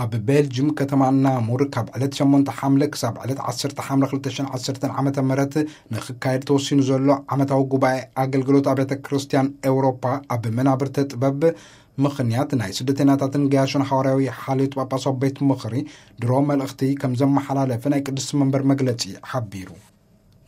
ኣብ ቤልጅም ከተማ ናሙር ካብ ዕለት ሸሞንተ ሓምለ ክሳብ ዕለት ዓሰርተ ሓምለ ክልተ ሽሕን ዓሰርተን ዓመተ ምህረት ንኽካየድ ተወሲኑ ዘሎ ዓመታዊ ጉባኤ ኣገልግሎት ኣብያተ ክርስቲያን ኤውሮፓ ኣብ መናብርተ ጥበብ ምኽንያት ናይ ስደተኛታትን ገያሾን ሓዋርያዊ ሓልዮት ጳጳሳዊ ቤት ምኽሪ ድሮ መልእኽቲ ከም ዘመሓላለፈ ናይ ቅድስቲ መንበር መግለጺ ሓቢሩ።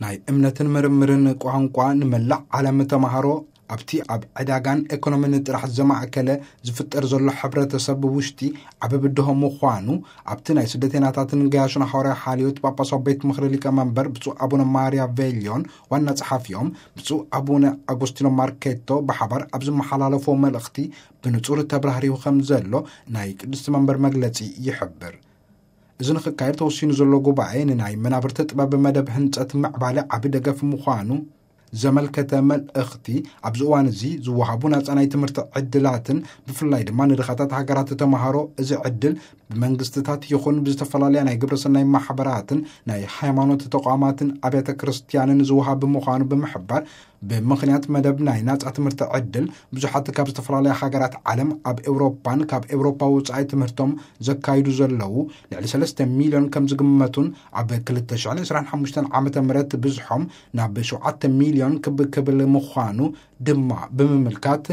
ናይ እምነትን ምርምርን ቋንቋ ንመላእ ዓለም ተማሃሮ ኣብቲ ኣብ ዕዳጋን ኤኮኖሚን ጥራሕ ዘማእከለ ዝፍጠር ዘሎ ሕብረተሰብ ውሽጢ ዓቢ ብድሆ ምዃኑ ኣብቲ ናይ ስደተኛታትን ገያሾን ሓዋርያዊ ሓልዮት ጳጳሳዊ ቤት ምኽሪ ሊቀመንበር ብፁዕ ኣቡነ ማርያ ቬልዮን ዋና ጸሓፊኦም ብፁዕ ኣቡነ ኣጎስቲኖ ማርኬቶ ብሓባር ኣብ ዝመሓላለፎ መልእኽቲ ብንጹር ተብራህሪሁ ከም ዘሎ ናይ ቅድስቲ መንበር መግለጺ ይሕብር። እዚ ንኽካየድ ተወሲኑ ዘሎ ጉባኤ ንናይ መናብርቲ ጥበብ መደብ ህንጸት ምዕባለ ዓቢ ደገፍ ምዃኑ ዘመልከተ መልእኽቲ ኣብዚ እዋን እዚ ዝወሃቡ ናጻ ናይ ትምህርቲ ዕድላትን ብፍላይ ድማ ንድኻታት ሃገራት ተማሃሮ እዚ ዕድል ብመንግስትታት ይኹን ብዝተፈላለያ ናይ ግብረሰናይ ማሕበራትን ናይ ሃይማኖት ተቋማትን ኣብያተ ክርስቲያንን ዝወሃብ ምዃኑ ብምሕባር ብምኽንያት መደብ ናይ ናጻ ትምህርቲ ዕድል ብዙሓት ካብ ዝተፈላለያ ሃገራት ዓለም ኣብ ኤውሮፓን ካብ ኤውሮፓ ውጻኢ ትምህርቶም ዘካይዱ ዘለዉ ልዕሊ ሰለስተ ሚልዮን ከም ዝግመቱን ኣብ ክልተ ሽሕን ዕስራን ሓሙሽተን ዓመተ ምህረት ብዝሖም ናብ ሸውዓተ ሚልዮን ክብ ክብል ምዃኑ ድማ ብምምልካት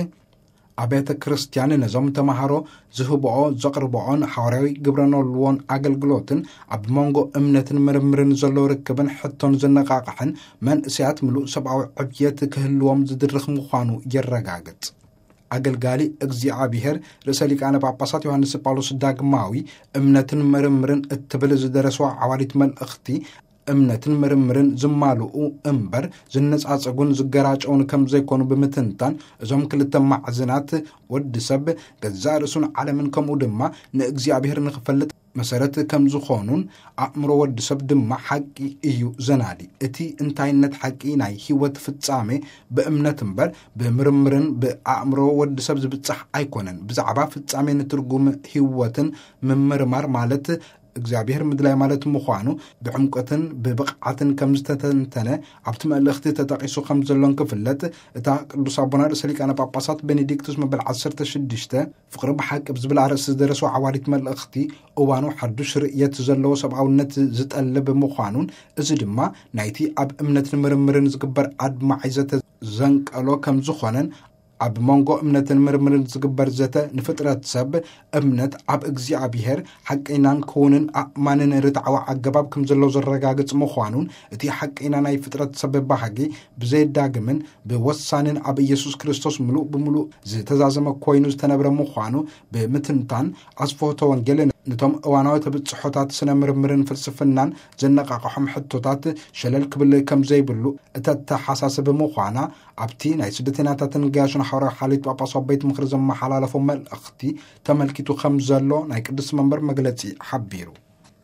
ኣብያተ ክርስቲያን ነዞም ተማሃሮ ዝህብኦ ዘቕርብኦን ሓዋርያዊ ግብረ ኖልዎን ኣገልግሎትን ኣብ መንጎ እምነትን ምርምርን ዘሎ ርክብን ሕቶን ዘነቃቕሕን መንእሰያት ምሉእ ሰብኣዊ ዕብየት ክህልዎም ዝድርኽ ምዃኑ የረጋግጽ። ኣገልጋሊ እግዚኣብሔር ርእሰ ሊቃነ ጳጳሳት ዮሃንስ ጳውሎስ ዳግማዊ እምነትን ምርምርን እትብል ዝደረስዋ ዓዋዲት መልእኽቲ እምነትን ምርምርን ዝማልኡ እምበር ዝነጻጸጉን ዝገራጨውን ከም ዘይኮኑ ብምትንታን እዞም ክልተ ማዕዝናት ወዲ ሰብ ገዛእ ርእሱን ዓለምን ከምኡ ድማ ንእግዚኣብሔር ንኽፈልጥ መሰረት ከም ዝኾኑን ኣእምሮ ወዲ ሰብ ድማ ሓቂ እዩ ዘናዲ። እቲ እንታይነት ሓቂ ናይ ህይወት ፍጻሜ ብእምነት እምበር ብምርምርን ብኣእምሮ ወዲ ሰብ ዝብጻሕ ኣይኮነን። ብዛዕባ ፍጻሜ ንትርጉም ህይወትን ምምርማር ማለት እግዚኣብሔር ምድላይ ማለት ምዃኑ ብዕምቆትን ብብቕዓትን ከም ዝተተንተነ ኣብቲ መልእኽቲ ተጠቒሱ ከም ዘሎን ክፍለጥ እታ ቅዱስ ኣቦና ርእሰ ሊቃነ ጳጳሳት ቤኔዲክቱስ መበል ዓሰርተ ሽዱሽተ ፍቕሪ ብሓቂ ብዝብል ኣርእስቲ ዝደረስዎ ዓዋዲት መልእኽቲ እዋኑ ሓዱሽ ርእየት ዘለዎ ሰብኣውነት ዝጠልብ ምዃኑን እዚ ድማ ናይቲ ኣብ እምነትን ምርምርን ዝግበር ኣድማዒ ዘተ ዘንቀሎ ከም ዝኾነን ኣብ መንጎ እምነትን ምርምርን ዝግበር ዘተ ንፍጥረት ሰብ እምነት ኣብ እግዚኣብሔር ሓቀይናን ክውንን ኣእማንን ርትዓዊ ኣገባብ ከም ዘሎ ዘረጋግጽ ምዃኑን እቲ ሓቀይና ናይ ፍጥረት ሰብ ባህጊ ብዘየዳግምን ብወሳንን ኣብ ኢየሱስ ክርስቶስ ምሉእ ብምሉእ ዝተዛዘመ ኮይኑ ዝተነብረ ምዃኑ ብምትንታን ኣስፍሆተ ወንጌል ነቶም እዋናዊ ተብጽሖታት ስነ ምርምርን ፍልስፍናን ዘነቃቕሖም ሕቶታት ሸለል ክብል ከም ዘይብሉ እተተሓሳስብ ምዃና ኣብቲ ናይ ስደተኛታትን ገያሾን ሓዋርያዊ ሓልዮት ጳጳሳዊ ቤት ምኽሪ ዘመሓላለፎ መልእኽቲ ተመልኪቱ ከም ዘሎ ናይ ቅዱስ መንበር መግለጺ ሓቢሩ።